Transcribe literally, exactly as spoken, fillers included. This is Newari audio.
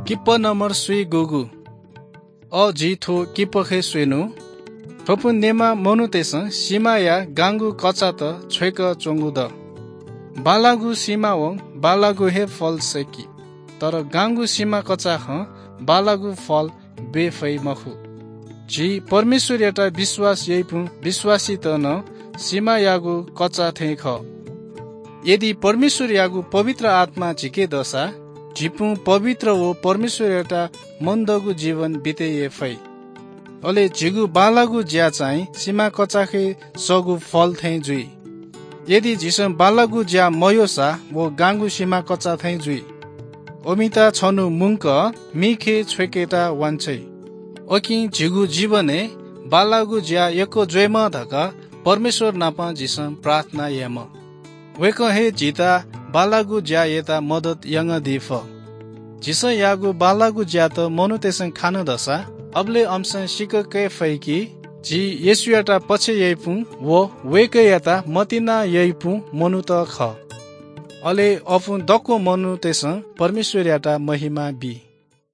किप्पा नम्बर स्वीगूगु। अ, जिं थ्व किप्पाखय् स्वयेनु। थ्वपुं नेमा मनूतय्सं सिमाया गांगु कचात छ्वय्क च्वंगु द। बांलाःगु सिमावं बांलाःगु हे फल सय्की, तर गांगु सिमा कचाखं बांलाःगु फल ब्वये फइ मखु। झी परमेश्वरयात विश्वास याइपुं विश्वासीत नं सिमायागु कचा थें खः। यदि परमेश्वरयागु पवित्र आत्मा झीके दःसा, झीपुं पवित्र व परमेश्वरयात मनदःगु जीवन बिते याये फइ। अले झीगु बांलाःगु ज्या चाहिँ सिमा कचाखय् सःगु फल थें जुइ। यदि झीसं बांलाःगु ज्या मयःसा, व गांगु सिमा कचा थें जुइ। वमित छन्हु मुंक मिखय् छ्वय्केत वांछ्वइ। उकिं झीगु जीवनय् बांलाःगु ज्या यक्व जुइमा धकाः परमेश्वर नाप झीसं प्रार्थना यायेमा। वय्कलं हे झीत बांलाःगु ज्या यायेत मदत यानादी फः। झीसं याःगु बांलाःगु ज्यात मनूतय्सं खान दःसा, अबलय् अमिसं सीके फइ कि झी येशूयात पछ्यः याइपुं व वय्कःयात मतिना याइपुं मनूत खः। अले अपुं दक्व मनूतय्सं परमेश्वरयात महिमा बी।